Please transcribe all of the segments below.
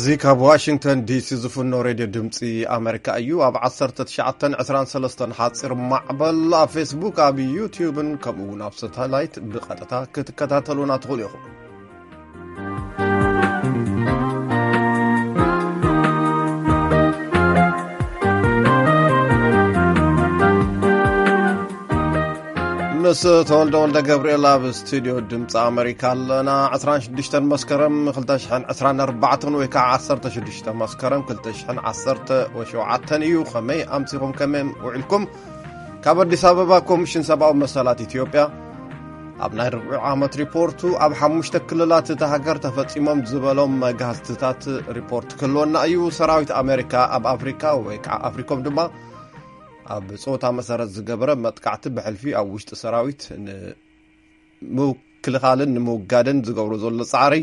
እዚ ካብ ዋሽንግተን ዲሲ ዝፍኖ ሬድዮ ድምፂ ኣሜሪካ እዩ። ኣብ ዓሰርተ ትሽዓተን ዕስራን ሰለስተን ሓፂር ማዕበል፣ ኣብ ፌስቡክ፣ ኣብ ዩቲዩብን ከምኡ እውን ኣብ ሳተላይት ብቐጥታ ክትከታተሉና ትኽእሉ ኢኹም። ምስ ተወልደ ወልደ ገብርኤል ኣብ ስቱዲዮ ድምፂ ኣሜሪካ ኣለና። ዕስራን ሽዱሽተን መስከረም ክልተ ሽሕን ዕስራን ኣርባዕተን ወይ ከዓ ዓሰርተ ሽዱሽተ መስከረም ክልተ ሽሕን ዓሰርተ ሸውዓተን እዩ። ከመይ ኣምሲኹም? ከመይ ውዒልኩም? ካብ ኣዲስ ኣበባ ኮሚሽን ሰብኣዊ መሰላት ኢትዮጵያ ኣብ ናይ ርብዒ ዓመት ሪፖርቱ ኣብ ሓሙሽተ ክልላት እታ ሃገር ተፈጺሞም ዝበሎም መጋህትታት ሪፖርት ክህልወና እዩ። ሰራዊት ኣሜሪካ ኣብ ኣፍሪካ ወይ ከዓ ኣፍሪኮም ድማ ኣብ ጾታ መሰረት ዝገበረ መጥቃዕቲ ብሕልፊ ኣብ ውሽጢ ሰራዊት ንምክልኻልን ንምውጋድን ዝገብሮ ዘሎ ጻዕሪ፣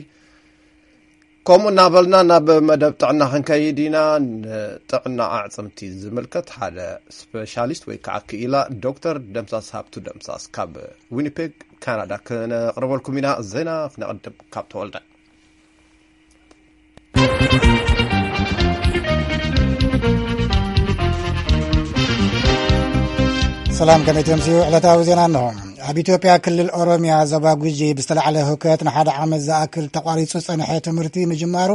ከምኡ እናበልና ናብ መደብ ጥዕና ክንከይድ ኢና። ንጥዕና ኣዕፅምቲ ዝምልከት ሓደ ስፔሻሊስት ወይ ከዓ ክኢላ ዶክተር ደምሳስ ሃብቱ ደምሳስ ካብ ዊኒፔግ ካናዳ ክነቕርበልኩም ኢና። ዜና ክነቕድም ካብ ተወልደ። ሰላም፣ ከመይ ትምስዩ? ዕለታዊ ዜና እንሆ። ኣብ ኢትዮጵያ ክልል ኦሮሚያ ዞባ ጉጂ ብዝተላዕለ ህውከት ንሓደ ዓመት ዝኣክል ተቋሪጹ ዝጸንሐ ትምህርቲ ምጅማሩ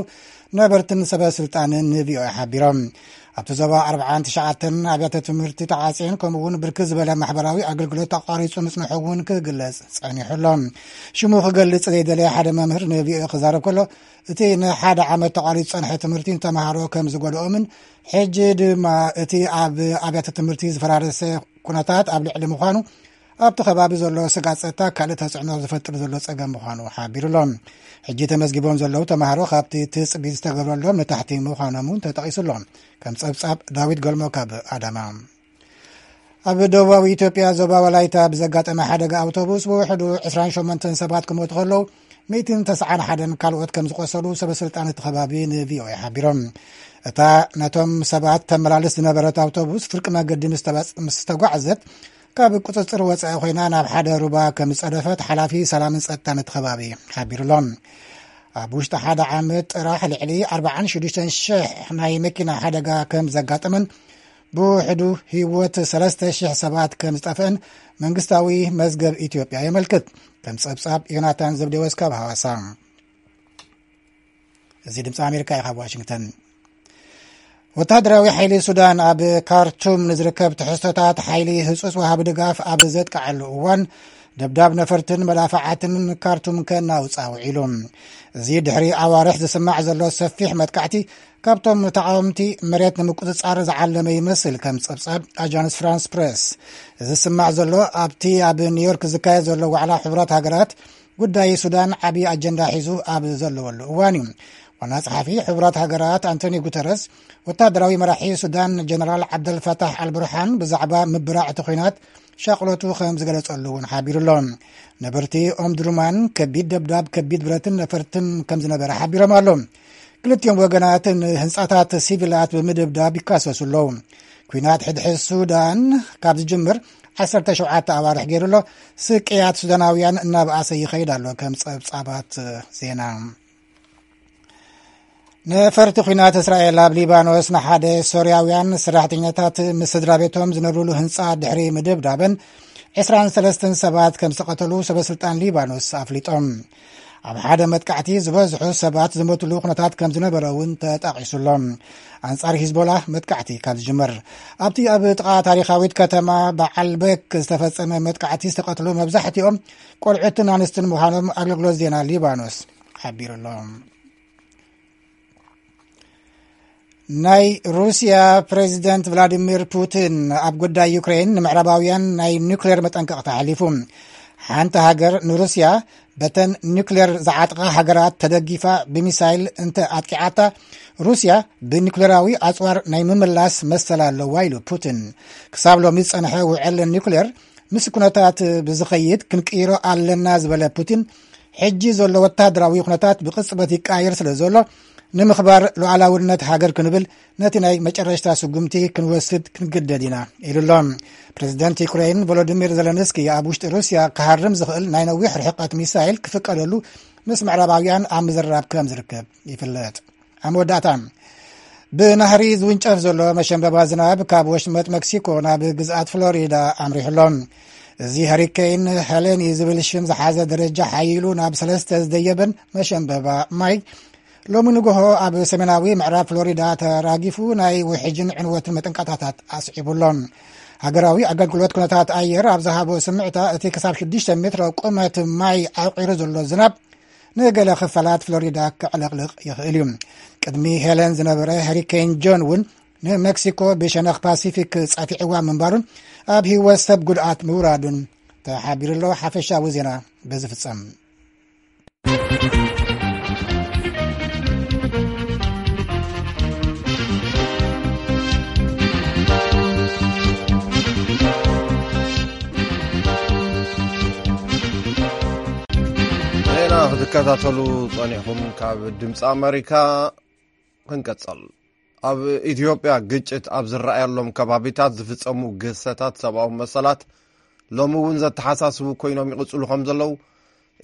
ነበርትን ሰበ ስልጣንን ንቪኦኤ ሓቢሮም። ኣብቲ ዞባ ኣርብዓን ትሽዓተን ኣብያተ ትምህርቲ ተዓጽየን፣ ከምኡ እውን ብርክት ዝበለ ማሕበራዊ ኣገልግሎት ተቋሪጹ ምጽንሑ እውን ክግለጽ ጸኒሑ ኣሎ። ሽሙ ክገልጽ ዘይደለየ ሓደ መምህር ንቪኦኤ ክዛረብ ከሎ፣ እቲ ንሓደ ዓመት ተቋሪጹ ዝጸንሐ ትምህርቲ ንተምሃሮ ከም ዝጎድኦምን፣ ሕጂ ድማ እቲ ኣብ ኣብያተ ትምህርቲ ዝፈራረሰ ኩነታት ኣብ ልዕሊ ምዃኑ፣ ኣብቲ ከባቢ ዘሎ ስግኣት ጸጥታ ካልእ ተጽዕኖ ዝፈጥር ዘሎ ጸገም ምዃኑ ሓቢሩ ኣሎ። ሕጂ ተመዝጊቦም ዘለዉ ተምሃሮ ካብቲ ትጽቢ ዝተገብረሎም ንታሕቲ ምዃኖም እውን ተጠቒሱ ኣሎ። ከም ጸብጻብ ዳዊት ገልሞ ካብ ኣዳማ። ኣብ ደቡባዊ ኢትዮጵያ ዞባ ወላይታ ብዘጋጠመ ሓደጋ ኣውቶቡስ ብውሕዱ ዕስራን ሸሞንተን ሰባት ክሞቱ ከለዉ፣ ሚእትን ተስዓን ሓደን ካልኦት ከም ዝቆሰሉ ሰበ ስልጣን እቲ ከባቢ ንቪኦኤ ሓቢሮም። እታ ነቶም ሰባት ተመላልስ ዝነበረት ኣውቶቡስ ፍርቂ መገዲ ምስ ተባጽ-፣ ምስ ተጓዕዘት፣ ካብ ቁጽጽር ወጻኢ ኮይና ናብ ሓደ ሩባ ከም ዝጸደፈት ሓላፊ ሰላምን ጸጥታን እቲ ከባቢ ሓቢሩ ኣሎ። ኣብ ውሽጢ ሓደ ዓመት ጥራሕ ልዕሊ ኣርባዓን ሽዱሽተን ሽሕ ናይ መኪና ሓደጋ ከም ዘጋጠመን፣ ብውሕዱ ህይወት ሰለስተ ሽሕ ሰባት ከም ዝጠፍአን መንግስታዊ መዝገብ ኢትዮጵያ የመልክት። ከም ጸብጻብ ዮናታን ዘብዴዎስ ካብ ሃዋሳ። እዚ ድምፂ ኣሜሪካ እዩ፣ ካብ ዋሽንግተን። ወተሃደራዊ ሓይሊ ሱዳን ኣብ ካርቱም ንዝርከብ ትሕዝቶታት ሓይሊ ህጹጽ ወሃቢ ድጋፍ ኣብ ዘጥቅዓሉ እዋን፣ ደብዳብ ነፈርትን መዳፍዓትን ካርቱም ከናውጻ ውዒሉ። እዚ ድሕሪ ኣዋርሕ ዝስማዕ ዘሎ ሰፊሕ መጥቃዕቲ፣ ካብቶም ተቓወምቲ መሬት ንምቁጽጻር ዝዓለመ ይመስል፣ ከም ጸብጻብ ኣጃንስ ፍራንስ ፕሬስ። እዚ ዝስማዕ ዘሎ ኣብቲ ኣብ ኒውዮርክ ዝካየድ ዘሎ ዋዕላ ሕቡራት ሃገራት ጉዳይ ሱዳን ዓቢ ኣጀንዳ ሒዙ ኣብ ዘለወሉ እዋን እዩ። ዋና ጸሓፊ ሕቡራት ሃገራት ኣንቶኒ ጉተረስ፣ ወታደራዊ መራሒ ሱዳን ጀነራል ዓብደልፈታሕ ኣልቡርሃን ብዛዕባ ምብራዕ እቲ ኲናት ሻቕሎቱ ከም ዝገለጸሉ እውን ሓቢሩ ኣሎ። ነበርቲ ኦምድሩማን ከቢድ ደብዳብ ከቢድ ብረትን ነፈርትን ከም ዝነበረ ሓቢሮም ኣሎ። ክልቲኦም ወገናት ንህንጻታት ሲቪላት ብምድብዳብ ይካሰሱ ኣለዉ። ኲናት ሕድሕድ ሱዳን ካብ ዝጅምር ዓሰርተ ሸውዓተ ኣዋርሕ ገይሩ ኣሎ። ስቅያት ሱዳናውያን እናበኣሰ ይኸይድ ኣሎ። ከም ጸብጻባት ዜና፣ ነፈርቲ ኲናት እስራኤል ኣብ ሊባኖስ ንሓደ ሶርያውያን ሰራሕተኛታት ምስ ስድራ ቤቶም ዝነብሩሉ ህንጻ ድሕሪ ምድብዳበን ዕስራን ሰለስተን ሰባት ከም ዝተቐተሉ ሰበ ስልጣን ሊባኖስ ኣፍሊጦም። ኣብ ሓደ መጥቃዕቲ ዝበዝሑ ሰባት ዝሞትሉ ኩነታት ከም ዝነበረ እውን ተጠቒሱ ኣሎ። ኣንጻር ሂዝቦላ መጥቃዕቲ ካብ ዝጅመር፣ ኣብቲ ኣብ ጥቓ ታሪኻዊት ከተማ በዓልበክ ዝተፈጸመ መጥቃዕቲ ዝተቐትሉ መብዛሕትኦም ቆልዑትን ኣንስትን ምዃኖም ኣገልግሎት ዜና ሊባኖስ ሓቢሩ ኣሎ። ናይ ሩስያ ፕሬዚደንት ቭላዲሚር ፑቲን ኣብ ጉዳይ ዩክሬን ንምዕራባውያን ናይ ኒውክሌር መጠንቀቕታ ኣሕሊፉ። ሓንቲ ሃገር ንሩስያ በተን ኒውክሌር ዝዓጥቓ ሃገራት ተደጊፋ ብሚሳይል እንተ ኣጥቂዓታ፣ ሩስያ ብኒውክሌራዊ ኣጽዋር ናይ ምምላስ መሰል ኣለዋ ኢሉ ፑቲን። ክሳብ ሎሚ ዝጸንሐ ውዕል ኒውክሌር ምስ ኩነታት ብዝኸይድ ክንቅይሮ ኣለና ዝበለ ፑቲን፣ ሕጂ ዘሎ ወተሃደራዊ ኩነታት ብቕጽበት ይቀያየር ስለ ዘሎ፣ ንምኽባር ሉዓላውነት ሃገር ክንብል ነቲ ናይ መጨረሽታ ስጉምቲ ክንወስድ ክንግደድ ኢና ኢሉ ኣሎ። ፕሬዚደንት ዩክሬን ቮሎዲሚር ዘለንስኪ ኣብ ውሽጢ ሩስያ ክሃርም ዝኽእል ናይ ነዊሕ ርሕቀት ሚሳይል ክፍቀደሉ ምስ ምዕራባውያን ኣብ ምዝርራብ ከም ዝርከብ ይፍለጥ። ኣብ መወዳእታ፣ ብናህሪ ዝውንጨፍ ዘሎ መሸንበባ ዝናብ ካብ ወሽመጥ መክሲኮ ናብ ግዝኣት ፍሎሪዳ ኣምሪሑ ኣሎ። እዚ ሃሪኬን ሄለኒ ዝብል ሽም ዝሓዘ ደረጃ ሓይሉ ናብ ሰለስተ ዝደየበን መሸንበባ ማይ፣ ሎሚ ንግሆ ኣብ ሰሜናዊ ምዕራብ ፍሎሪዳ ተራጊፉ ናይ ውሕጅን ዕንወትን መጠንቀቕታታት ኣስዒቡ ኣሎ። ሃገራዊ ኣገልግሎት ኩነታት ኣየር ኣብ ዝሃቦ ስምዕታ፣ እቲ ክሳብ ሽዱሽተ ሜትሮ ቁመት ማይ ዓቂሩ ዘሎ ዝናብ ንገለ ክፋላት ፍሎሪዳ ከዕለቕልቕ ይኽእል እዩ። ቅድሚ ሄለን ዝነበረ ሃሪኬን ጆን እውን ንመክሲኮ ብሸነኽ ፓሲፊክ ጸፊዕዋ ምንባሩን ኣብ ህይወት ሰብ ጉድኣት ምውራዱን ተሓቢሩ ኣሎ። ሓፈሻዊ ዜና በዚ ፍጸም። ዜና ክትከታተሉ ጸኒሕኩም ካብ ድምፂ ኣመሪካ ክንቀጽል። ኣብ ኢትዮጵያ ግጭት ኣብ ዝረኣየሎም ከባቢታት ዝፍጸሙ ግህሰታት ሰብኣዊ መሰላት ሎሚ እውን ዘተሓሳስቡ ኮይኖም ይቕጽሉ ከም ዘለዉ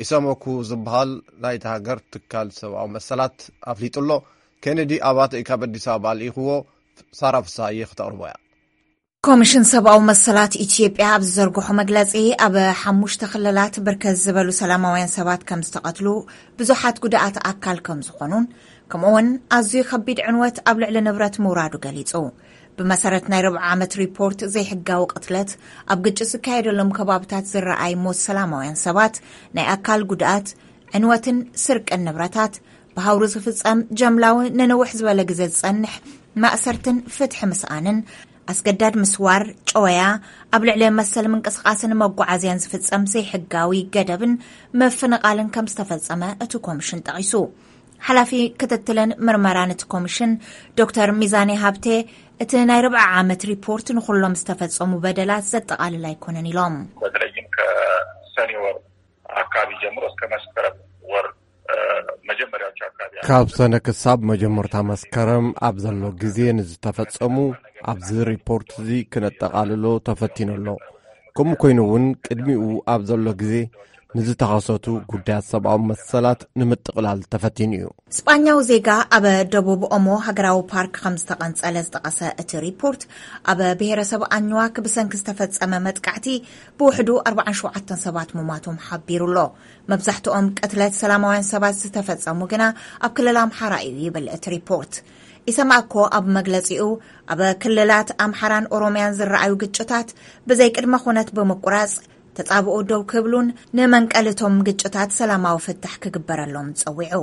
ኢሰመኩ ዝበሃል ናይቲ ሃገር ትካል ሰብኣዊ መሰላት ኣፍሊጡ ኣሎ። ኬኔዲ ኣባተ እዩ ካብ ኣዲስ ኣበባ ልኢኽዎ። ሳራ ፍሳሃየ ክተቕርቦ እያ። ኮሚሽን ሰብኣዊ መሰላት ኢትዮጵያ ኣብ ዝዘርግሖ መግለጺ፣ ኣብ ሓሙሽተ ክልላት ብርክት ዝበሉ ሰላማውያን ሰባት ከም ዝተቐትሉ፣ ብዙሓት ጉዳኣት ኣካል ከም ዝኾኑን፣ ከምኡውን ኣዝዩ ከቢድ ዕንወት ኣብ ልዕሊ ንብረት ምውራዱ ገሊጹ። ብመሰረት ናይ ርብዓ ዓመት ሪፖርት፣ ዘይሕጋዊ ቅትለት፣ ኣብ ግጭት ዝካየደሎም ከባብታት ዝረኣይ ሞት ሰላማውያን ሰባት፣ ናይ ኣካል ጉድኣት፣ ዕንወትን ስርቅን ንብረታት፣ ብሃውሪ ዝፍጸም ጀምላዊ ንንውሕ ዝበለ ግዜ ዝጸንሕ ማእሰርትን ፍትሒ ምስኣንን፣ ኣስገዳድ ምስዋር፣ ጨወያ፣ ኣብ ልዕሊ መሰል ምንቅስቓስን መጓዓዝያን ዝፍጸም ዘይሕጋዊ ገደብን ምፍንቓልን ከም ዝተፈጸመ እቲ ኮሚሽን ጠቒሱ። ሓላፊ ክትትልን ምርመራን እቲ ኮሚሽን ዶክተር ሚዛኔ ሃብቴ፣ እቲ ናይ ርብዓ ዓመት ሪፖርት ንኹሎም ዝተፈጸሙ በደላት ዘጠቓልል ኣይኮነን ኢሎም። በተለይም ከሰኔ ወር አካባቢ ጀምሮ እስከ መስከረም ወር፣ እ፣ መጀመሪያዎች አካባቢ ካብ ሰነ ክሳብ መጀመርታ መስከረም ኣብ ዘሎ ግዜ ንዝተፈጸሙ ኣብዚ ሪፖርት እዚ ክነጠቓልሎ ተፈቲኑ ኣሎ። ከምኡ ኮይኑ እውን ቅድሚኡ ኣብ ዘሎ ግዜ ንዝተኸሰቱ ጉዳያት ሰብኣዊ መሰላት ንምጥቕላል ተፈቲኑ እዩ። ስጳኛዊ ዜጋ ኣብ ደቡብ ኦሞ ሃገራዊ ፓርክ ከም ዝተቐንጸለ ዝጠቐሰ እቲ ሪፖርት፣ ኣብ ብሄረሰብ ኣኝዋክ ብሰንኪ ዝተፈጸመ መጥቃዕቲ ብውሕዱ ኣርባዓን ሸውዓተን ሰባት ምሟቶም ሓቢሩ ኣሎ። መብዛሕትኦም ቅትለት ሰላማውያን ሰባት ዝተፈጸሙ ግና ኣብ ክልል ኣምሓራ እዩ ይብል እቲ ሪፖርት። ኢሰማኮ ኣብ መግለጺኡ፣ ኣብ ክልላት ኣምሓራን ኦሮምያን ዝረኣዩ ግጭታት ብዘይ ቅድመ ኩነት ብምቁራጽ፣ ተጻብኦ ደው ክብሉን ንመንቀልቶም ግጭታት ሰላማዊ ፍታሕ ክግበረሎም ጸዊዑ።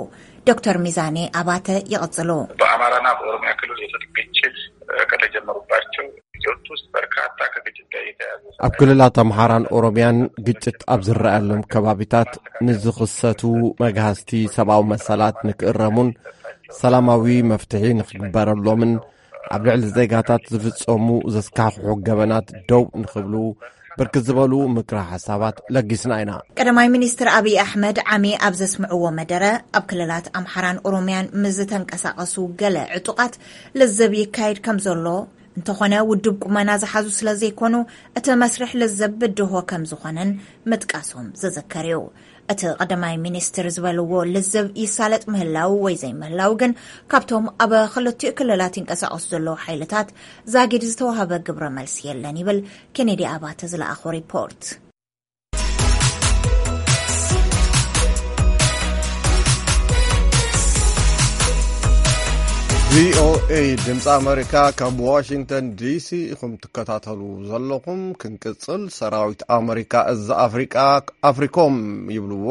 ዶክተር ሚዛኔ ኣባተ ይቕጽሉ። በአማራና በኦሮሚያ ክልል የትጥቅ ግጭት ከተጀመሩባቸው ጊዜዎች ውስጥ በርካታ ከግጭት ጋር የተያያዙ ኣብ ክልላት ኣምሓራን ኦሮምያን ግጭት ኣብ ዝረኣየሎም ከባቢታት ንዝኽሰቱ መግሃስቲ ሰብኣዊ መሰላት ንክእረሙን ሰላማዊ መፍትሒ ንክግበረሎምን ኣብ ልዕሊ ዜጋታት ዝፍጸሙ ዘስካሕክሑ ገበናት ደው ንክብሉ ብርክት ዝበሉ ምክረ ሓሳባት ለጊስና ኢና። ቀዳማይ ሚኒስትር ኣብይ ኣሕመድ ዓሚ ኣብ ዘስምዕዎ መደረ፣ ኣብ ክልላት ኣምሓራን ኦሮምያን ምስ ዝተንቀሳቐሱ ገለ ዕጡቓት ልዝብ ይካየድ ከም ዘሎ፣ እንተኾነ ውድብ ቁመና ዝሓዙ ስለ ዘይኮኑ፣ እቲ መስርሕ ልዝብ ብድሆ ከም ዝኾነን ምጥቃሶም ዝዝከር እዩ። እቲ ቀዳማይ ሚኒስትር ዝበልዎ ልዝብ ይሳለጥ ምህላው ወይ ዘይምህላው ግን ካብቶም ኣብ ክልቲኡ ክልላት ይንቀሳቐሱ ዘለዉ ሓይልታት ዛጊድ ዝተዋህበ ግብረ መልሲ የለን ይብል ኬኔዲ ኣባተ ዝለኣኾ ሪፖርት። ቪኦኤ ድምፂ ኣመሪካ ካብ ዋሽንግተን ዲሲ ኢኹም ትከታተሉ ዘለኹም። ክንቅፅል፣ ሰራዊት ኣመሪካ እዚ ኣፍሪቃ ኣፍሪኮም ይብልዎ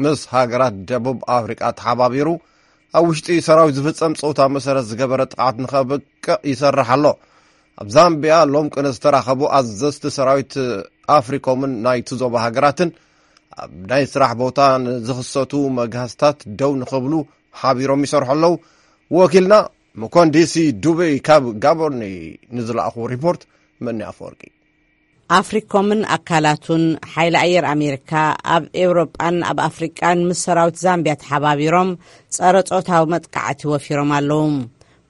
ምስ ሃገራት ደቡብ ኣፍሪቃ ተሓባቢሩ ኣብ ውሽጢ ሰራዊት ዝፍጸም ጾታ መሰረት ዝገበረ ጥቕዓት ንኸብቅዕ ይሰርሕ ኣሎ። ኣብ ዛምቢያ ሎም ቅነ ዝተራኸቡ ኣዘዝቲ ሰራዊት ኣፍሪኮምን ናይቲ ዞባ ሃገራትን ኣብ ናይ ስራሕ ቦታ ንዝኽሰቱ መግሃስታት ደው ንኽብሉ ሓቢሮም ይሰርሑ ኣለዉ። ወኪልና መኮንዲሲ ዱበይ ካብ ጋቦርኒ ንዝለኣኹ ሪፖርት መኒ ኣፈወርቂ። ኣፍሪኮምን ኣካላቱን ሓይሊ ኣየር ኣሜሪካ ኣብ ኤውሮጳን ኣብ ኣፍሪቃን ምስ ሰራዊት ዛምቢያ ተሓባቢሮም ጸረ ጾታዊ መጥቃዕቲ ወፊሮም ኣለዉ።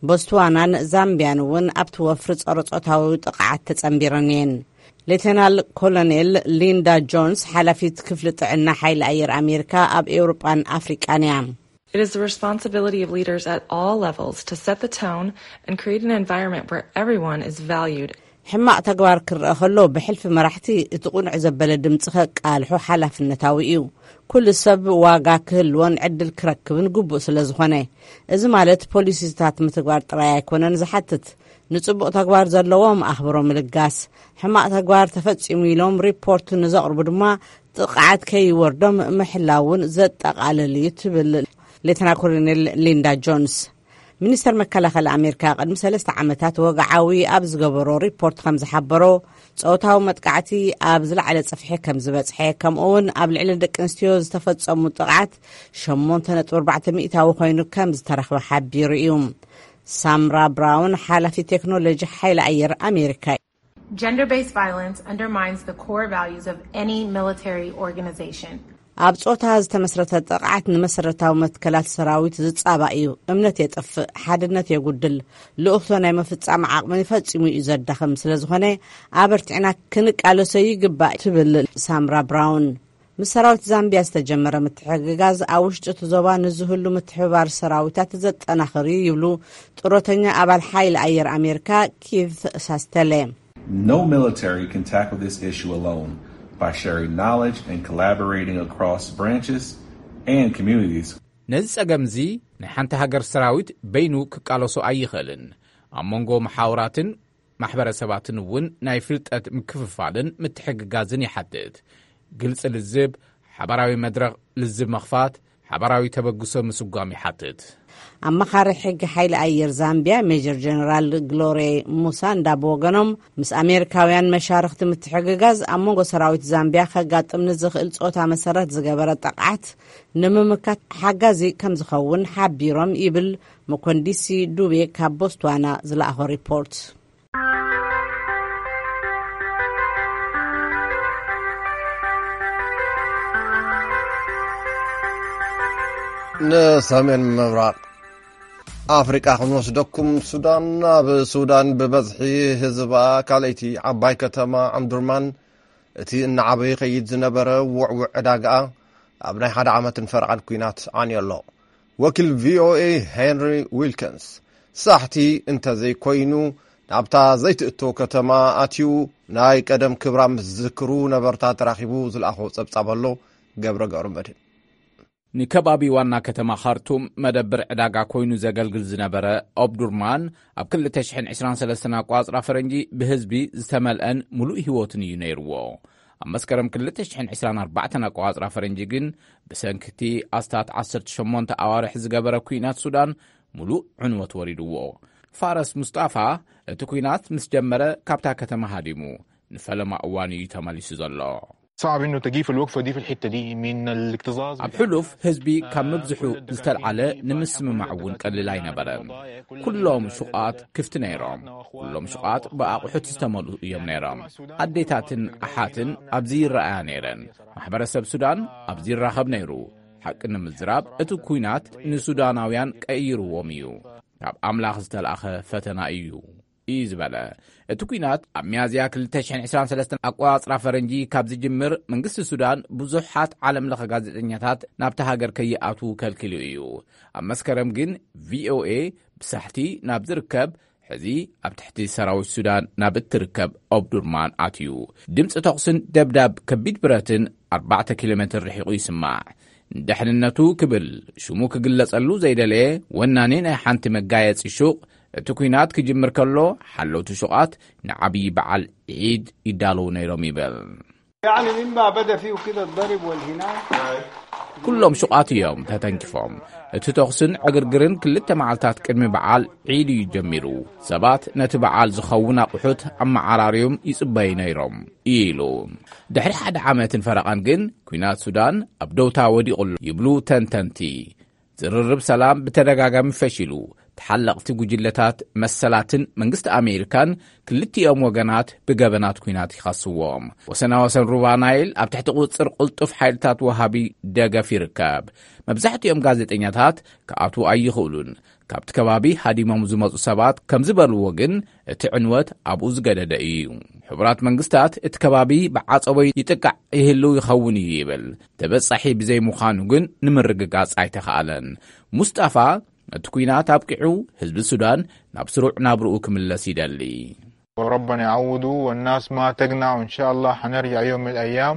ቦትስዋናን ዛምቢያን እውን ኣብቲ ወፍሪ ጸረ ጾታዊ ጥቕዓት ተጸንቢረን እየን። ሌተናል ኮሎኔል ሊንዳ ጆንስ ሓላፊት ክፍሊ ጥዕና ሓይሊ ኣየር ኣሜሪካ ኣብ ኤውሮጳን ኣፍሪቃን እያ። It is the responsibility of leaders at all levels to set the tone and create an environment where everyone is valued. ሕማቕ ተግባር ክረአ ከሎ፣ ብሕልፊ መራሕቲ እቲ ቁኑዕ ዘበለ ድምፂ ከቃልሑ ሓላፍነታዊ እዩ። ኩሉ ሰብ ዋጋ ክህልዎን ዕድል ክረክብን ግቡእ ስለ ዝኾነ፣ እዚ ማለት ፖሊሲታት ምትግባር ጥራይ ኣይኮነን ዝሓትት። ንጽቡቕ ተግባር ዘለዎም ኣኽብሮ ምልጋስ፣ ሕማቕ ተግባር ተፈጺሙ ኢሎም ሪፖርት ንዘቕርቡ ድማ ጥቕዓት ከይወርዶም ምሕላው እውን ዘጠቓልል እዩ፣ ትብል ሌተና ኮሎኔል ሊንዳ ጆንስ። ሚኒስተር መከላኸሊ ኣሜሪካ ቅድሚ ሰለስተ ዓመታት ወግዓዊ ኣብ ዝገበሮ ሪፖርት ከም ዝሓበሮ፣ ጾታዊ መጥቃዕቲ ኣብ ዝለዓለ ጽፍሒ ከም ዝበጽሐ፣ ከምኡ እውን ኣብ ልዕሊ ደቂ ኣንስትዮ ዝተፈጸሙ ጥቕዓት ሸሞንተ ነጥቢ ኣርባዕተ ሚእታዊ ኮይኑ ከም ዝተረኽበ ሓቢሩ እዩ። ሳምራ ብራውን፣ ሓላፊ ቴክኖሎጂ ሓይሊ ኣየር ኣሜሪካ። Gender-based violence undermines the core values of any military organization. ኣብ ጾታ ዝተመስረተ ጥቕዓት ንመሰረታዊ መትከላት ሰራዊት ዝጻባእ እዩ። እምነት የጥፍእ፣ ሓድነት የጉድል፣ ልኡኽቶ ናይ ምፍጻም ዓቕሚ ፈጺሙ እዩ ዘዳኽም። ስለ ዝኾነ፣ ኣበርቲዕና ክንቃለሶ ይግባእ፣ ትብል ሳምራ ብራውን። ምስ ሰራዊት ዛምቢያ ዝተጀመረ ምትሕግጋዝ ኣብ ውሽጢ እቲ ዞባ ንዝህሉ ምትሕብባር ሰራዊታት ዘጠናኽር እዩ ይብሉ ጡረተኛ ኣባል ሓይሊ ኣየር ኣሜሪካ ኪት ሳስተለ። No military can tackle this issue alone. By sharing knowledge and collaborating across branches and communities, ነዚ ጸገም እዚ ናይ ሓንቲ ሃገር ሰራዊት በይኑ ክቃለሶ ኣይኽእልን። ኣብ መንጎ መሓውራትን ማሕበረሰባትን እውን ናይ ፍልጠት ምክፍፋልን ምትሕግጋዝን ይሓትት። ግልፂ ልዝብ፣ ሓባራዊ መድረኽ ልዝብ ምኽፋት፣ ሓባራዊ ተበግሶ ምስጓም ይሓትት። ኣማኻሪ ሕጊ ሓይሊ ኣየር ዛምቢያ ሜጀር ጀነራል ግሎሬ ሙሳንዳ ብወገኖም፣ ምስ ኣሜሪካውያን መሻርኽቲ ምትሕግጋዝ ኣብ መንጎ ሰራዊት ዛምቢያ ከጋጥም ንዝኽእል ጾታ መሰረት ዝገበረ ጥቕዓት ንምምካት ሓጋዚ ከም ዝኸውን ሓቢሮም ይብል መኮንዲሲ ዱቤ ካብ ቦስትዋና ዝለኣኾ ሪፖርት። ንሰሜን ምብራቕ ኣፍሪቃ ክንወስደኩም። ሱዳን፣ ኣብ ሱዳን ብበዝሒ ህዝባ ካልኣይቲ ዓባይ ከተማ ዓምዱርማን፣ እቲ እናዓበየ ይኸይድ ዝነበረ ውዕውዕ ዕዳጋኣ ኣብ ናይ ሓደ ዓመትን ፈረቓን ኲናት ዓንዮ ኣሎ። ወኪል ቪ ኦ ኤ ሄንሪ ዊልኪንስ፣ ሳሕቲ እንተዘይኮይኑ ናብታ ዘይትእቶ ከተማ ኣትዩ ናይ ቀደም ክብራ ምስ ዝክሩ ነበርታ ተራኺቡ ዝለኣኾ ጸብጻብ ኣሎ። ገብረ ገብረ መድህን። ንከባቢ ዋና ከተማ ካርቱም መደብር ዕዳጋ ኮይኑ ዘገልግል ዝነበረ ኦብዱርማን፣ ኣብ ክልተ ሽሕን ዕስራን ሰለስተን ኣቋጽራ ፈረንጂ ብህዝቢ ዝተመልአን ምሉእ ህይወትን እዩ ነይርዎ። ኣብ መስከረም ክልተ ሽሕን ዕስራን ኣርባዕተን ኣቋጽራ ፈረንጂ ግን፣ ብሰንኪ እቲ ኣስታት ዓሰርተ ሸሞንተ ኣዋርሕ ዝገበረ ኲናት ሱዳን፣ ምሉእ ዕንወት ወሪድዎ። ፋረስ ሙስጣፋ፣ እቲ ኲናት ምስ ጀመረ ካብታ ከተማ ሃዲሙ፣ ንፈለማ እዋን እዩ ተመሊሱ ዘሎ። صعب إنه تجي في الوقفة دي، في الحتة دي من الاكتظاظ ኣብ ሕሉፍ ህዝቢ ካብ ምብዝሑ ዝተልዓለ ንምስምማዕ እውን ቀሊል ኣይነበረን። ኩሎም ሹቓት ክፍቲ ነይሮም። ኩሎም ሹቓት ብኣቑሑት ዝተመልኡ እዮም ነይሮም። ኣዴታትን ኣሓትን ኣብዚ ይረኣያ ነይረን። ማሕበረሰብ ሱዳን ኣብዚ ይራኸብ ነይሩ። ሓቂ ንምዝራብ፣ እቲ ኲናት ንሱዳናውያን ቀይርዎም እዩ። ካብ ኣምላኽ ዝተላእኸ ፈተና እዩ፣ እዩ ዝበለ። እቲ ኲናት ኣብ ሚያዝያ ክልተ ሽሕን ዕስራን ሰለስተን ኣቆጻጽራ ፈረንጂ ካብ ዝጅምር፣ መንግስቲ ሱዳን ብዙሓት ዓለም ለኸ ጋዜጠኛታት ናብቲ ሃገር ከይኣትዉ ከልኪሉ እዩ። ኣብ መስከረም ግን፣ ቪ ኦ ኤ ብሳሕቲ ናብ ዝርከብ፣ ሕዚ ኣብ ትሕቲ ሰራዊት ሱዳን ናብ እትርከብ ኦምዱርማን ኣትዩ። ድምፂ ተኹስን ደብዳብ ከቢድ ብረትን ኣርባዕተ ኪሎ ሜትር ርሒቑ ይስማዕ። ንደሕንነቱ ክብል ሽሙ ክግለጸሉ ዘይደለየ ወናኒ ናይ ሓንቲ መጋየጺ ሹቕ፣ እቲ ኲናት ክጅምር ከሎ፣ ሓለውቲ ሹቓት ንዓብዪ በዓል ዒድ ይዳለዉ ነይሮም ይብል። يعني مما بدأ فيه كده الضرب والهناء. ኩሎም ሹቓት እዮም ተተንኪፎም። እቲ ተኹስን ዕግርግርን ክልተ መዓልታት ቅድሚ በዓል ዒድ እዩ ጀሚሩ። ሰባት ነቲ በዓል ዝኸውን ኣቑሑት ኣመዓራርዮም ይጽበዩ ነይሮም፣ ኢሉ። ድሕሪ ሓደ ዓመትን ፈረቓን ግን፣ ኲናት ሱዳን ኣብ ደውታ ወዲቑ ኣሎ ይብሉ ተንተንቲ። ዝርርብ ሰላም ብተደጋጋሚ ፈሺሉ። ተሓለቕቲ ጉጅለታት መሰላትን መንግስቲ ኣሜሪካን ክልቲኦም ወገናት ብገበናት ኲናት ይኸስዎም። ወሰናወሰን ሩባ ናይል ኣብ ትሕቲ ቁጽጽር ቅልጡፍ ሓይልታት ወሃቢ ደገፍ ይርከብ። መብዛሕትኦም ጋዜጠኛታት ክኣትዉ ኣይኽእሉን። ካብቲ ከባቢ ሃዲሞም ዝመጹ ሰባት ከም ዝበልዎ ግን፣ እቲ ዕንወት ኣብኡ ዝገደደ እዩ። ሕቡራት መንግስታት፣ እቲ ከባቢ ብዓጸቦ ይጥቃዕ ይህልው ይኸውን እዩ ይብል። ተበጻሒ ብዘይምዃኑ ግን ንምርግጋጽ ኣይተኻእለን። ሙስጣፋ፣ እቲ ኲናት ኣብቂዑ፣ ህዝቢ ሱዳን ናብ ስሩዕ ናብርኡ ክምለስ ይደሊ። وربنا يعوضه والناس ما تقنع، وإن شاء الله حنرجع يوم من الأيام.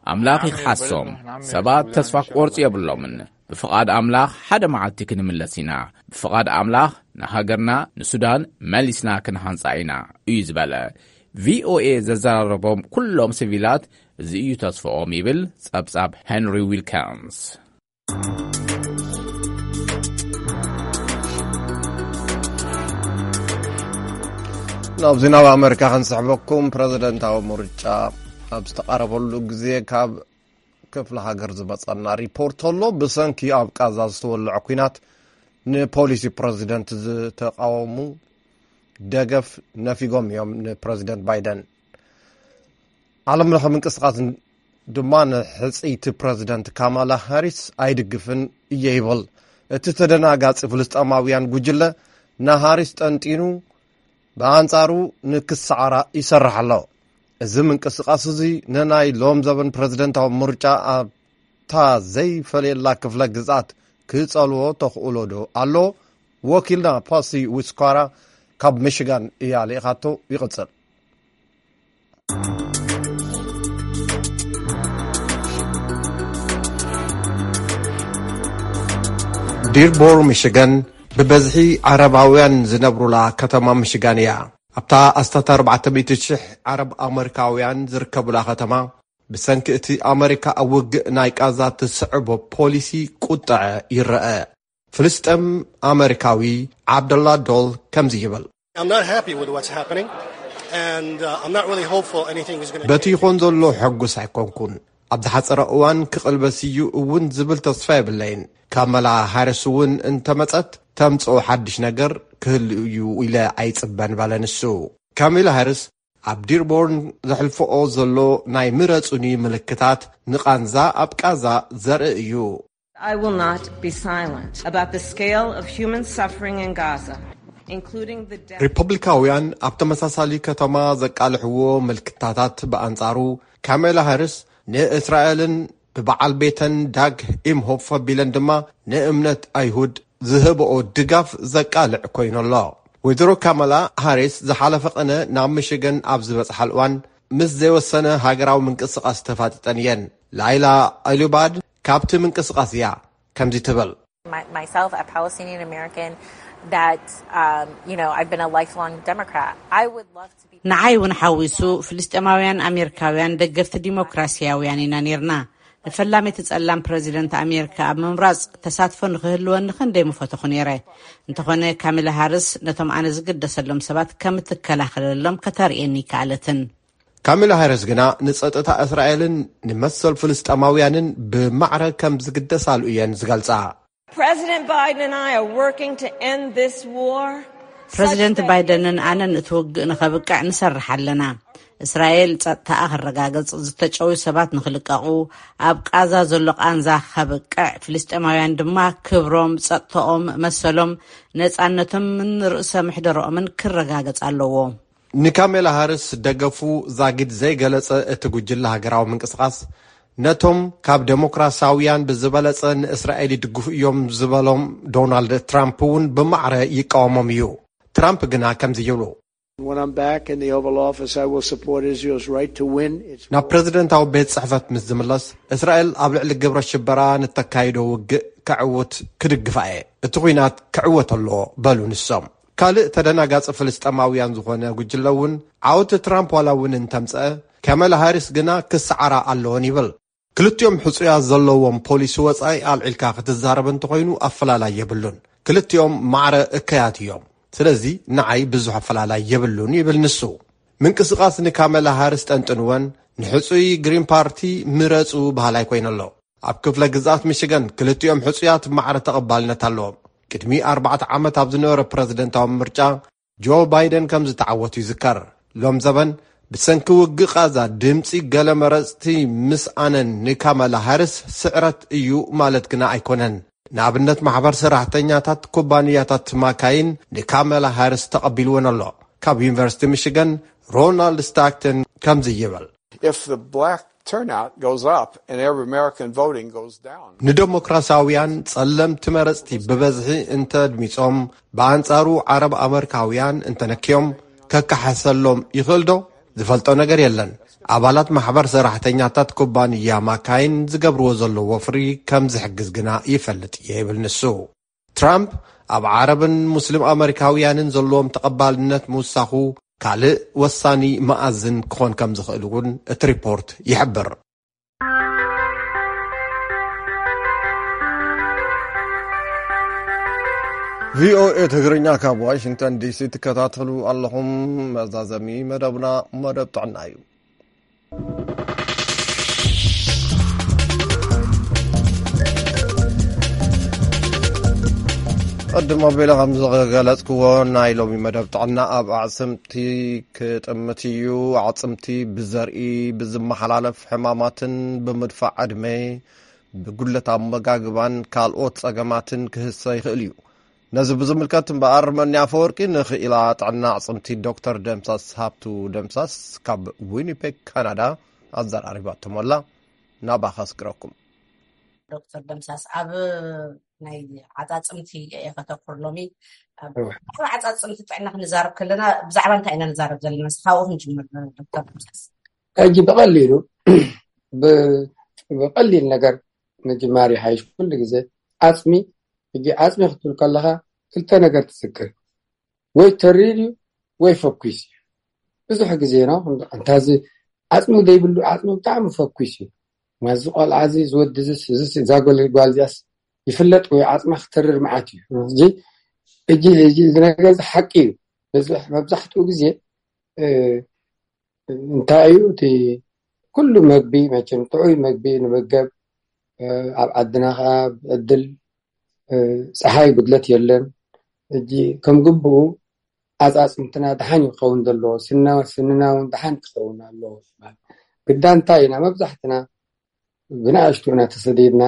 ኣምላኽ ይኽሓሶም። ሰባት ተስፋ ክቆርጹ የብሎምን። ብፍቓድ ኣምላኽ ሓደ መዓልቲ ክንምለስ ኢና። ብፍቓድ ኣምላኽ ንሃገርና ንሱዳን መሊስና ክንሃንጻ ኢና እዩ ዝበለ። ቪኦኤ ዘዘራረቦም ኩሎም ሲቪላት እዚ እዩ ተስፍኦም ይብል ጸብጻብ ሄንሪ ዊልካንስ። ናብዚ ናብ ኣመሪካ ክንስሕበኩም፣ ፕረዚደንታዊ ምርጫ ኣብ ዝተቓረበሉ ግዜ ካብ ክፍለ ሃገር ዝመጸና ሪፖርት ኣሎ። ብሰንኪ ኣብ ቃዛ ዝተወልዐ ኲናት ንፖሊሲ ፕረዚደንት ዝተቃወሙ ደገፍ ነፊጎም እዮም ንፕረዚደንት ባይደን። ዓለም ለኸ ምንቅስቃስ ድማ ንሕጽይቲ ፕረዚደንት ካማላ ሃሪስ ኣይድግፍን እየ ይብል። እቲ ተደናጋጺ ፍልስጠማውያን ጉጅለ ንሃሪስ ጠንጢኑ ብኣንጻሩ ንክሰዓራ ይሰርሕ ኣሎ። እዚ ምንቅስቃስ እዚ ንናይ ሎም ዘበን ፕረዚደንታዊ ምርጫ ኣብታ ዘይፈለየላ ክፍለ ግዝኣት ክጸልዎ ተኽእሎ ዶ ኣሎ? ወኪልና ፓሲ ዊስኳራ ካብ ሚሽጋን እያ ልኢኻቶ። ይቕጽል። ዲርቦር ሚሽጋን ብበዝሒ ዓረባውያን ዝነብሩላ ከተማ ሚሽጋን እያ። ኣብታ ኣስታት ኣርባዕተ ሚእቲ ሽሕ ዓረብ ኣመሪካውያን ዝርከቡላ ከተማ፣ ብሰንኪ እቲ ኣመሪካ ኣብ ውግእ ናይ ቃዛ ትስዕቦ ፖሊሲ ቁጥዐ ይረአ። ፍልስጤም ኣመሪካዊ ዓብደላ ዶል ከምዚ ይብል። I'm not happy with what's happening, and uh, I'm not really hopeful anything is going to በቲ ይኾን ዘሎ ሕጉስ ኣይኮንኩን። ኣብ ዝሓጸረ እዋን ክቕልበስ እዩ እውን ዝብል ተስፋ የብለይን። ካመላ ሃሪስ እውን እንተመጸት ተምጽኦ ሓድሽ ነገር ክህሉ እዩ ኢለ ኣይጽበን በለ ንሱ። ካሜላ ሃሪስ ኣብ ዲርቦርን ዘሕልፈኦ ዘሎ ናይ ምረጹኒ ምልክታት ንቓንዛ ኣብ ቃዛ ዘርኢ እዩ። I will not be silent about the scale of human suffering in Gaza, including the death. ሪፐብሊካውያን ኣብ ተመሳሳሊ ከተማ ዘቃልሕዎ ምልክታታት ብኣንጻሩ፣ ካሜላ ሃሪስ ንእስራኤልን ብበዓል ቤተን ዳግ ኢምሆፍ ኣቢለን ድማ ንእምነት ኣይሁድ ዝህብኦ ድጋፍ ዘቃልዕ ኮይኑ ኣሎ። ወይዘሮ ካማላ ሃሪስ ዝሓለፈ ቅነ ናብ ሚሽገን ኣብ ዝበጽሓል እዋን፣ ምስ ዘይወሰነ ሃገራዊ ምንቅስቓስ ተፋጢጠን እየን። ላይላ ኣሉባድ ካብቲ ምንቅስቓስ እያ ከምዚ ትብል። My, myself, a Palestinian American, that, um, you know, I've been a lifelong Democrat. I would love to be. ንዓይ እውን ሓዊሱ፣ ፍልስጤማውያን ኣሜሪካውያን ደገፍቲ ዲሞክራሲያውያን ኢና ነይርና። ንፈላሚት ጸላም ፕረዚደንት ኣሜሪካ ኣብ ምምራጽ ተሳትፎ ንኽህልወኒ ክንደይ ምፈተኹ ነይረ። እንተኾነ፣ ካሚላ ሃርስ ነቶም ኣነ ዝግደሰሎም ሰባት ከም እትከላኸለሎም ከተርእየኒ ይከኣለትን። ካሚላ ሃሪስ ግና ንጸጥታ እስራኤልን ንመሰል ፍልስጤማውያንን ብማዕረ ከም ዝግደሳሉ እየን ዝገልጻ። President Biden and I are working to end this war. ፕረዚደንት ባይደንን ኣነን እቲ ውግእ ንኸብቅዕ ንሰርሕ ኣለና። እስራኤል ጸጥታኣ ክረጋገጽ፣ ዝተጨውዩ ሰባት ንኽልቀቑ፣ ኣብ ቃዛ ዘሎ ቃንዛ ከብቅዕ፣ ፍልስጤማውያን ድማ ክብሮም፣ ጸጥታኦም፣ መሰሎም፣ ነጻነቶምን ርእሰ ምሕደረኦምን ክረጋገጽ ኣለዎ። ንካሜላ ሃርስ ደገፉ ዛጊድ ዘይገለጸ እቲ ጉጅለ ሃገራዊ ምንቅስቓስ፣ ነቶም ካብ ደሞክራሲያውያን ብዝበለጸ ንእስራኤል ይድግፉ እዮም ዝበሎም ዶናልድ ትራምፕ እውን ብማዕረ ይቃወሞም እዩ። ትራምፕ ግና ከምዚ ይብሉ። When I'm back in the Oval Office, I will support Israel's right to win its ናብ ፕረዚደንታዊ ቤት ጽሕፈት ምስ ዝምለስ፣ እስራኤል ኣብ ልዕሊ ግብረ ሽበራ ንተካይዶ ውግእ ከዕውት ክድግፋ እየ። እቲ ኲናት ክዕወት ኣለዎ በሉ ንሶም። ካልእ ተደናጋጺ ፍልስጤማውያን ዝኾነ ጉጅለ እውን ዓወት ትራምፕ ዋላ እውን እንተምጸአ፣ ካሜላ ሃሪስ ግና ክሰዓራ ኣለወን ይብል። ክልቲኦም ሕጹያት ዘለዎም ፖሊሲ ወጻኢ ኣልዒልካ ክትዛረብ እንተኾይኑ ኣፈላላይ የብሉን። ክልቲኦም ማዕረ እከያት እዮም። ስለዚ ንዓይ ብዙሕ ኣፈላላይ የብሉን ይብል ንሱ። ምንቅስቓስ ንካሜላ ሃሪስ ጠንጥንወን ንሕጹይ ግሪን ፓርቲ ምረጹ በሃላይ ኮይኑ ኣሎ። ኣብ ክፍለ ግዝኣት ሚሽገን ክልቲኦም ሕጹያት ማዕረ ተቐባልነት ኣለዎም። ቅድሚ ኣርባዕተ ዓመት ኣብ ዝነበረ ፕረዚደንታዊ ምርጫ ጆ ባይደን ከም ዝተዓወቱ ይዝከር። ሎም ዘበን ብሰንኪ ውግእ ቓዛ ድምጺ ገለ መረጽቲ ምስኣነን ንካማላ ሃሪስ ስዕረት እዩ ማለት ግና ኣይኮነን። ንኣብነት ማሕበር ሰራሕተኛታት ኩባንያታት ማካይን ንካመላ ሃርስ ተቐቢልወን ኣሎ። ካብ ዩኒቨርሲቲ ሚሽገን ሮናልድ ስታክተን ከምዚ ይብል። If the black turnout goes up and every American voting goes down, ንደሞክራሲያውያን ጸለምቲ መረጽቲ ብበዝሒ እንተድሚጾም፣ ብኣንጻሩ ዓረብ ኣመሪካውያን እንተነክዮም፣ ከከሓሰሎም ይኽእል ዶ? ዝፈልጦ ነገር የለን። ኣባላት ማሕበር ሰራሕተኛታት ኩባንያ ማካይን ዝገብርዎ ዘለዉ ወፍሪ ከም ዝሕግዝ ግና ይፈልጥ እየ ይብል ንሱ። ትራምፕ ኣብ ዓረብን ሙስሊም ኣመሪካውያንን ዘለዎም ተቐባልነት ምውሳኹ ካልእ ወሳኒ መኣዝን ክኾን ከም ዝኽእል እውን እቲ ሪፖርት ይሕብር። ቪኦኤ ትግርኛ ካብ ዋሽንግተን ዲሲ ትከታተሉ ኣለኹም። መዛዘሚ መደብና መደብ ጥዕና እዩ። ቅድም ኣቢለ ከም ዝገለጽክዎ፣ ናይ ሎሚ መደብ ጥዕና ኣብ ኣዕጽምቲ ክጥምት እዩ። ኣዕጽምቲ ብዘርኢ ብዝመሓላለፍ ሕማማትን ብምድፋእ ዕድመ፣ ብጉድለት ኣመጋግባን ካልኦት ጸገማትን ክህሰ ይኽእል እዩ። ነዚ ብዝምልከት እምበኣር መኒ ኣፈወርቂ ንኽኢላ ጥዕና ኣዕጽምቲ ዶክተር ደምሳስ ሃብቱ ደምሳስ ካብ ዊኒፔግ ካናዳ ኣዘራሪባቶም ኣላ። ናባኻ ኣስግረኩም። ዶክተር ደምሳስ፣ ኣብ ናይ ዓጻጽምቲ እየ ከተኩር ሎሚ። ኣብ ዓጻጽምቲ ጥዕና ክንዛረብ ከለና ብዛዕባ እንታይ ኢና ንዛረብ ዘለና? እስኪ ካብኡ ክንጅምር ዶክተር ደምሳስ። ሕጂ ብቐሊሉ ብ- ብቐሊል ነገር ምጅማር ይሓይሽ። ኩሉ ግዜ ዓጽሚ፣ ሕጂ ዓጽሚ ክትብል ከለኻ ክልተ ነገር ትዝክር፣ ወይ ተሪር እዩ ወይ ፈኩስ እዩ። ብዙሕ ግዜ ነው እንታዚ ዓጽሚ ዘይብሉ ዓጽሚ ብጣዕሚ ፈኩስ እዩ። ማዚ ቆልዓ እዚ ዝወዲ ዝስ ዝስ እዛ ጎል ጓል እዚኣስ ይፍለጥ ወይ ዓጽማ ክተርር መዓት እዩ። እዚ እጂ እዚ ነገር እዚ ሓቂ እዩ። በዚ መብዛሕትኡ ግዜ እንታይ እዩ እቲ ኩሉ መግቢ መቸም ጥዑይ መግቢ ንመገብ። ኣብ ዓድና ከዓ ብዕድል ፀሓይ ጉድለት የለን። ሕጂ ከም ግብኡ ኣፃፅምትና ድሓን ክኸውን ዘለዎ፣ ስንና እውን ድሓን ክኸውን ኣለዎ። ግዳ እንታይ ኢና መብዛሕትና ብንኣሽቱ ኢና ተሰዲድና።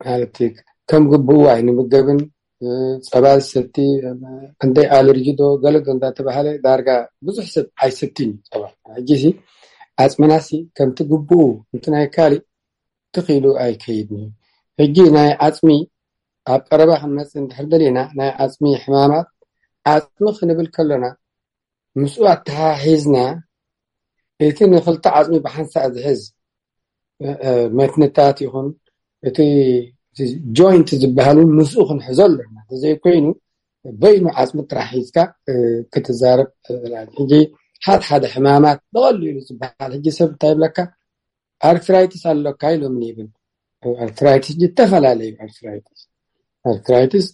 ማለት ከም ግብኡ ኣይንምገብን። ፀባ ዝሰቲ እንደ ኣለርጂ ዶ ገለ ዶ እንዳተባሃለ ዳርጋ ብዙሕ ሰብ ኣይሰትን እዩ ፀባ። ሕጂ ሲ ዓፅምና ሲ ከምቲ ግብኡ እንት ናይ ካሊእ ትኽኢሉ ኣይከይድን እዩ። ሕጂ ናይ ዓፅሚ ኣብ ቀረባ ክንመፅእ እንድሕር ደሊና ናይ ዓፅሚ ሕማማት ዓፅሚ ክንብል ከለና ምስኡ ኣተሓሒዝና እቲ ንክልተ ዓፅሚ ብሓንሳእ ዝሕዝ መትንታት ይኹን እቲ ጆይንት ዝበሃል እውን ምስኡ ክንሕዞ ኣለና። ተዘይኮይኑ በይኑ ዓፅሚ ጥራሕ ሒዝካ ክትዛረብ። ሕጂ ሓደ ሓደ ሕማማት ብቐሊሉ ዝበሃል ሕጂ ሰብ እንታይ ይብለካ ኣርትራይትስ ኣለካ ኢሎም ይብል። ኣርትራይትስ ዝተፈላለዩ ኣርትራይትስ ኣርትራይትስ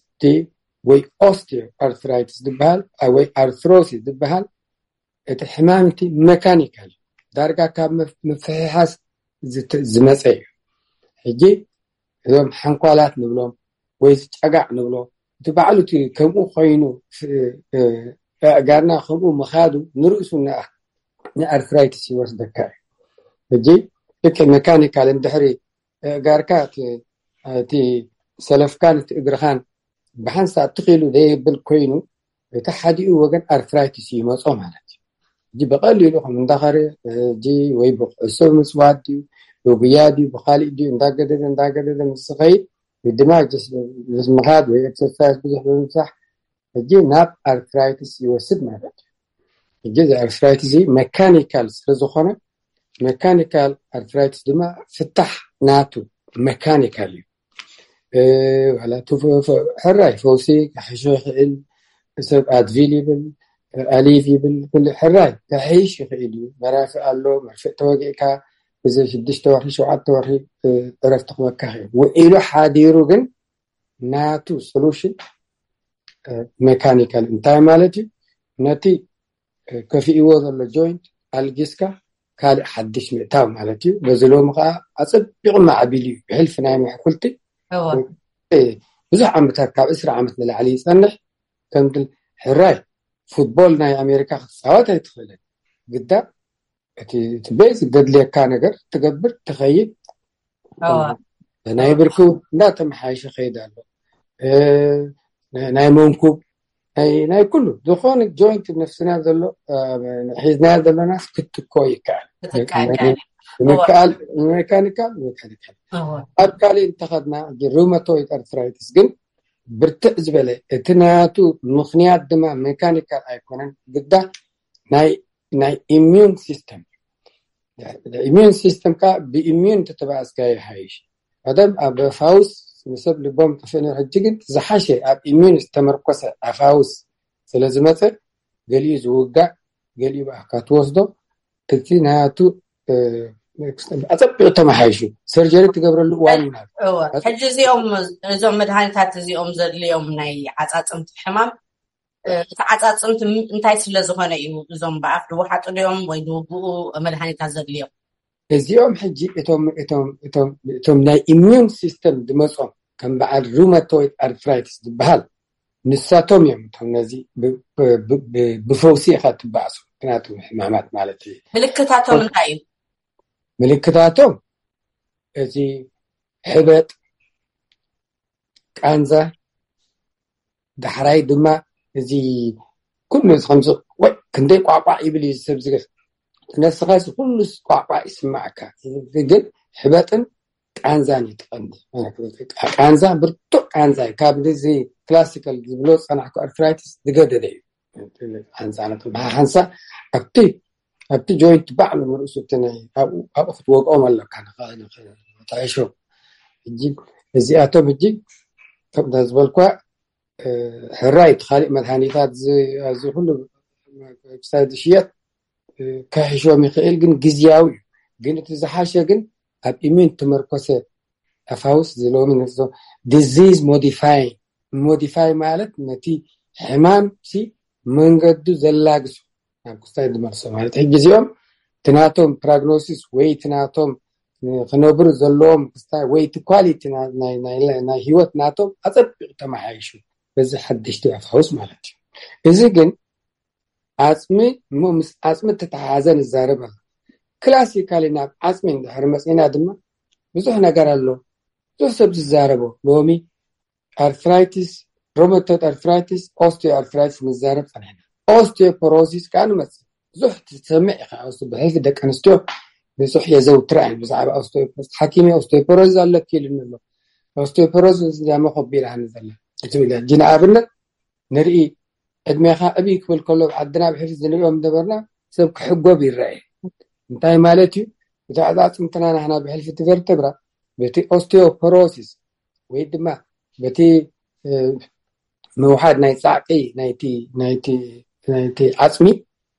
ወይ ኦስቲዮ ኣርትራይትስ ዝበሃል ወይ ኣርትሮሲስ ዝበሃል እቲ ሕማም እቲ መካኒካል ዳርጋ ካብ ምፍሕሓስ ዝመፀ እዩ። ሕጂ እዞም ሓንኳላት ንብሎም ወይ ዝጨጋዕ ንብሎ እቲ ባዕሉ እቲ ከምኡ ኮይኑ ኣእጋርና ከምኡ ምኻዱ ንርእሱ ንኣርትራይትስ ይወስደካ እዩ። ሕጂ ልክዕ መካኒካል እንድሕሪ ኣእጋርካ እቲ ሰለፍካን እቲ እግርኻን ብሓንሳእ ትኽኢሉ ዘይብል ኮይኑ እቲ ሓዲኡ ወገን ኣርትራይትስ ይመፆ ማለት እዩ። ሕጂ ብቐሊሉ ከም እንዳኸረ ሕጂ ወይ ብኩዕሶ ምፅዋት ድዩ ብጉያ ድዩ ብካሊእ ድዩ እንዳገደደ እንዳገደደ ምስ ዝኸይድ ድማ ምስ ምኻድ ወይ ኤክሰርሳይዝ ብዙሕ ብምብዛሕ ሕጂ ናብ ኣርትራይትስ ይወስድ ማለት እዩ። ሕጂ እዚ ኣርትራይትስ እዚ መካኒካል ስለዝኾነ መካኒካል ኣርትራይትስ ድማ ፍታሕ ናቱ መካኒካል እዩ። ዋላ ሕራይ ፈውሲ ክሕሾ ይኽእል። ሰብ ኣድቪል ይብል ኣሊቭ ይብል ኩሉ ሕራይ ክሕይሽ ይኽእል እዩ። መራፊ ኣሎ መርፍእ ተወጊእካ እዚ ሽዱሽተ ወርሒ ሸውዓተ ወርሒ ዕረፍቲ ክበካ ይኽእል። ውዒሉ ሓዲሩ ግን ናቱ ሶሉሽን ሜካኒካል እንታይ ማለት እዩ? ነቲ ከፊእዎ ዘሎ ጆይንት ኣልጊስካ ካልእ ሓድሽ ምእታው ማለት እዩ። በዚ ሎሚ ከዓ ኣፀቢቑ ማዕቢሉ እዩ። ብሕልፊ ናይ ምሕኩልቲ ብዙሕ ዓመታት ካብ ዕስራ ዓመት ንላዕሊ ይፀንሕ። ከምቲ ሕራይ ፉትቦል ናይ ኣሜሪካ ክትፃወት ኣይትኽእልን። ግዳ እቲ ቤዝ ዘድልየካ ነገር ትገብር ትኸይድ። ናይ ብርኪ እውን እንዳተመሓየሸ ከይድ ኣሎ። ናይ መንኩብ ናይ ኩሉ ዝኾነ ጆይንት ነፍስና ዘሎ ሒዝናዮ ዘለናስ ክትኮ ይከኣል። ምክኣል ሜካኒካል ሜካኒካል ኣብ ካልእ እንተኸድና ሩመቶይድ ኣርትራይትስ ግን ብርትዕ ዝበለ እቲ ናቱ ምኽንያት ድማ ሜካኒካል ኣይኮነን ግዳ ናይ ናይ ኢሚዩን ሲስተም ኢሚዩን ሲስተም ካ ብኢሚዩን ተተባእስካ ይሓይሽ። ቀደም ኣብ ፋውስ ንሰብ ልቦም ጥፍእኒ ሕጂ ግን ዝሓሸ ኣብ ኢሚዩን ዝተመርኮሰ ኣፋውስ ስለ ዝመፀ ገሊኡ ዝውጋእ ገሊኡ ብኣካ ትወስዶ እቲ ናቱ ኣፀቢቑ ተመሓይሹ ሰርጀሪ ትገብረሉ እዋን ይናል። ሕጂ እዚኦም እዞም መድሃኒታት እዚኦም ዘድልዮም ናይ ዓፃፅምቲ ሕማም እቲ ዓፃፅምቲ እንታይ ስለ ዝኾነ እዩ እዞም ብኣፍ ድወሓጡ ድዮም ወይ ድውግኡ መድሃኒታት ዘድልዮም? እዚኦም ሕጂ እቶም ናይ ኢሚዩን ሲስተም ዝመፆም ከም በዓል ሩመቶይድ ኣርትራይትስ ዝበሃል ንሳቶም እዮም እቶም ነዚ ብፈውሲ ኢኻ ትበኣሱ ምክንያቱ ሕማማት ማለት እዩ። ምልክታቶም እንታይ እዩ? ምልክታቶም እዚ ሕበጥ ቃንዛ ዳሕራይ ድማ እዚ ኩሉ ከምዚ ወይ ክንደይ ቋቋዕ ይብል እዩ ሰብ ዝገፍ ነስኻ ኩሉ ቋቋዕ ይስማዕካ ግን ሕበጥን ቃንዛን ይትቐንዲ ቃንዛ ብርቱዕ ቃንዛ እዩ ካብ እዚ ክላሲካል ዝብሎ ዝፀናሕኩ ኣርትራይትስ ዝገደደ እዩ ሓንሳ ሓንሳ ኣብቲ ኣብቲ ጆይንት ባዕሉ ንርእሱ ኣብኡ ክትወቅኦም ኣለካ ንጣይሾ ሕጂ እዚኣቶም ሕጂ ከምታ ዝበልኳ ሕራይ እቲ ካሊእ መድሃኒታት እዚ ኩሉ ክሳይ ዝሽየጥ ክሕሾም ይኽእል ግን ግዝያዊ እዩ ግን እቲ ዝሓሸ ግን ኣብ ኢሚን ተመርኮሰ ኣፋውስ ዝለሚ ንርዞ ዲዚዝ ሞዲፋይ ሞዲፋይ ማለት ነቲ ሕማም ሲ መንገዱ ዘላግሶ ናብ ክስታይ ዝመልሶ ማለት ሕጂ እዚኦም ትናቶም ፕራግኖሲስ ወይ ትናቶም ክነብሩ ዘለዎም ክስታይ ወይ እቲ ኳሊቲ ናይ ህይወት ናቶም ኣፀቢቑ ተመሓይሹ በዚ ሓደሽቲ ኣፋውስ ማለት እዩ። እዚ ግን ዓፅሚ እሞ ምስ ዓፅሚ እተተሓሓዘ ንዛረብ ኣለ። ክላሲካሊ ናብ ዓፅሚ እንድሕር መፂና ድማ ብዙሕ ነገር ኣሎ። ብዙሕ ሰብ ዝዛረቦ ሎሚ ኣርትራይቲስ፣ ሮመቶይድ ኣርትራይቲስ፣ ኦስቲዮ ኣርትራይቲስ ንዛረብ ፀኒሕና። ኦስቲዮፖሮሲስ ከዓ ንመፅእ። ብዙሕ ትሰምዕ ኢኻ ብሕልፊ ደቂ ኣንስትዮ ብዙሕ የዘውትራ እየን ብዛዕባ ኦስቲዮፖሮሲስ። ሓኪመይ ኦስቲዮፖሮሲስ ኣለኪ ኢሉኒ ኣሎ። ኦስቲዮፖሮሲስ እዚኣ መኸቢራኒ ዘላ ትብል እያ። ሕጂ ንኣብነት ንርኢ ዕድሜኻ ዕብይ ክብል ከሎ ኣብ ዓድና ብሕልፊ ዝንሪኦም ዝነበርና ሰብ ክሕጎብ ይረአ። እንታይ ማለት እዩ? እቲ ኣዕፃፅምትና ናህና ብሕልፊ እቲ ቨርተብራ በቲ ኦስቲዮፖሮሲስ ወይ ድማ በቲ ምውሓድ ናይ ፃዕቂ ናይቲ ዓፅሚ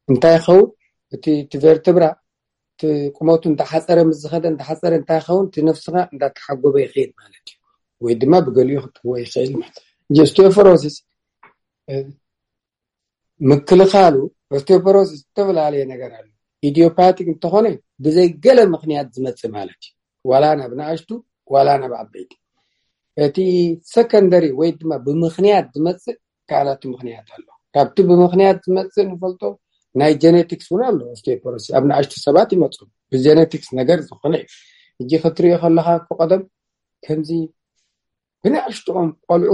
እንታይ ይኸውን? እቲ ቨርተብራ ቁመቱ እንዳሓፀረ ምስ ዝኸደ እንዳሓፀረ እንታይ ይኸውን? እቲ ነፍስኻ እንዳተሓጎበ ይኽእል ማለት እዩ። ወይ ድማ ብገሊኡ ክትዎ ይኽእል ማለት እዩ። ኦስቲዮፖሮሲስ ምክልኻሉ ኦስቲዮፖሮሲስ ዝተፈላለየ ነገር ኣሎ። ኢዲዮፓቲክ እንተኾነ ብዘይ ገለ ምኽንያት ዝመፅእ ማለት እዩ። ዋላ ናብ ንኣሽቱ ዋላ ናብ ዓበይቲ። እቲ ሰከንደሪ ወይ ድማ ብምኽንያት ዝመፅእ ካልኣቱ ምኽንያት ኣሎ። ካብቲ ብምኽንያት ዝመፅእ ንፈልጦ ናይ ጀኔቲክስ እውን ኣሎ። ኦስቲዮፖሮሲስ ኣብ ንኣሽቱ ሰባት ይመፁ ብጀኔቲክስ ነገር ዝኾነ እዩ። ሕጂ ክትሪኦ ከለካ እኮ ቀደም ከምዚ ብንኣሽትኦም ቆልዑ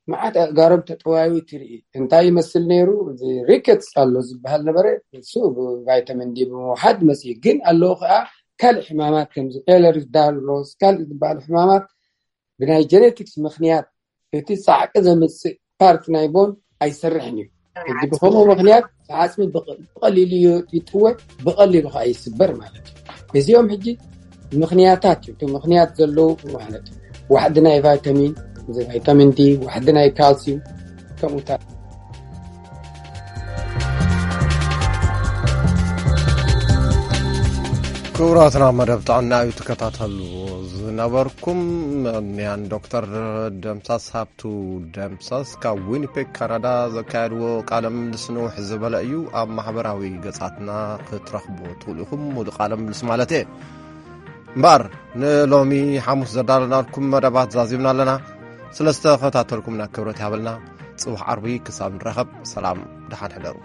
መዓት ኣእጋሮም ተጠዋዩ ትርኢ። እንታይ ይመስል ነይሩ? እዚ ሪኬትስ ኣሎ ዝበሃል ነበረ። እሱ ብቫይታሚን ዲ ብምውሓድ መፅኡ። ግን ኣለዉ ከዓ ካልእ ሕማማት ከምዚ ኤለርስ ዳሎስ ካልእ ዝበሃሉ ሕማማት ብናይ ጀኔቲክስ ምኽንያት እቲ ፃዕቂ ዘምፅእ ፓርት ናይ ቦን ኣይሰርሕን እዩ። ሕጂ ብከምኡ ምኽንያት ዓፅሚ ብቐሊሉ ይጥወ ብቐሊሉ ከዓ ይስበር ማለት እዩ። እዚኦም ሕጂ ምኽንያታት እዩ። እቲ ምኽንያት ዘለዉ ማለት እዩ። ዋሕዲ ናይ ቫይታሚን ቫይታሚን ዲ ዋሕዲ ናይ ካልሲዩም ከምኡታት ክቡራትና መደብ ጥዕና እዩ ትከታተሉ ዝነበርኩም። መምያን ዶክተር ደምሳስ ሃብቱ ደምሳስ ካብ ዊኒፔግ ካናዳ ዘካየድዎ ቃለ ምልልስ ንውሕ ዝበለ እዩ። ኣብ ማሕበራዊ ገጻትና ክትረኽቡ ትኽእሉ ኢኹም። ሙሉ ቃለ ምልልስ ማለት እየ። እምበኣር ንሎሚ ሓሙስ ዘዳለናልኩም መደባት ዛዚምና ኣለና። ስለ ዝተኸታተልኩምና ክብረት ይሃበልና። ጽባሕ ዓርቢ ክሳብ ንራኸብ ሰላም ደሓን ሕደሩ።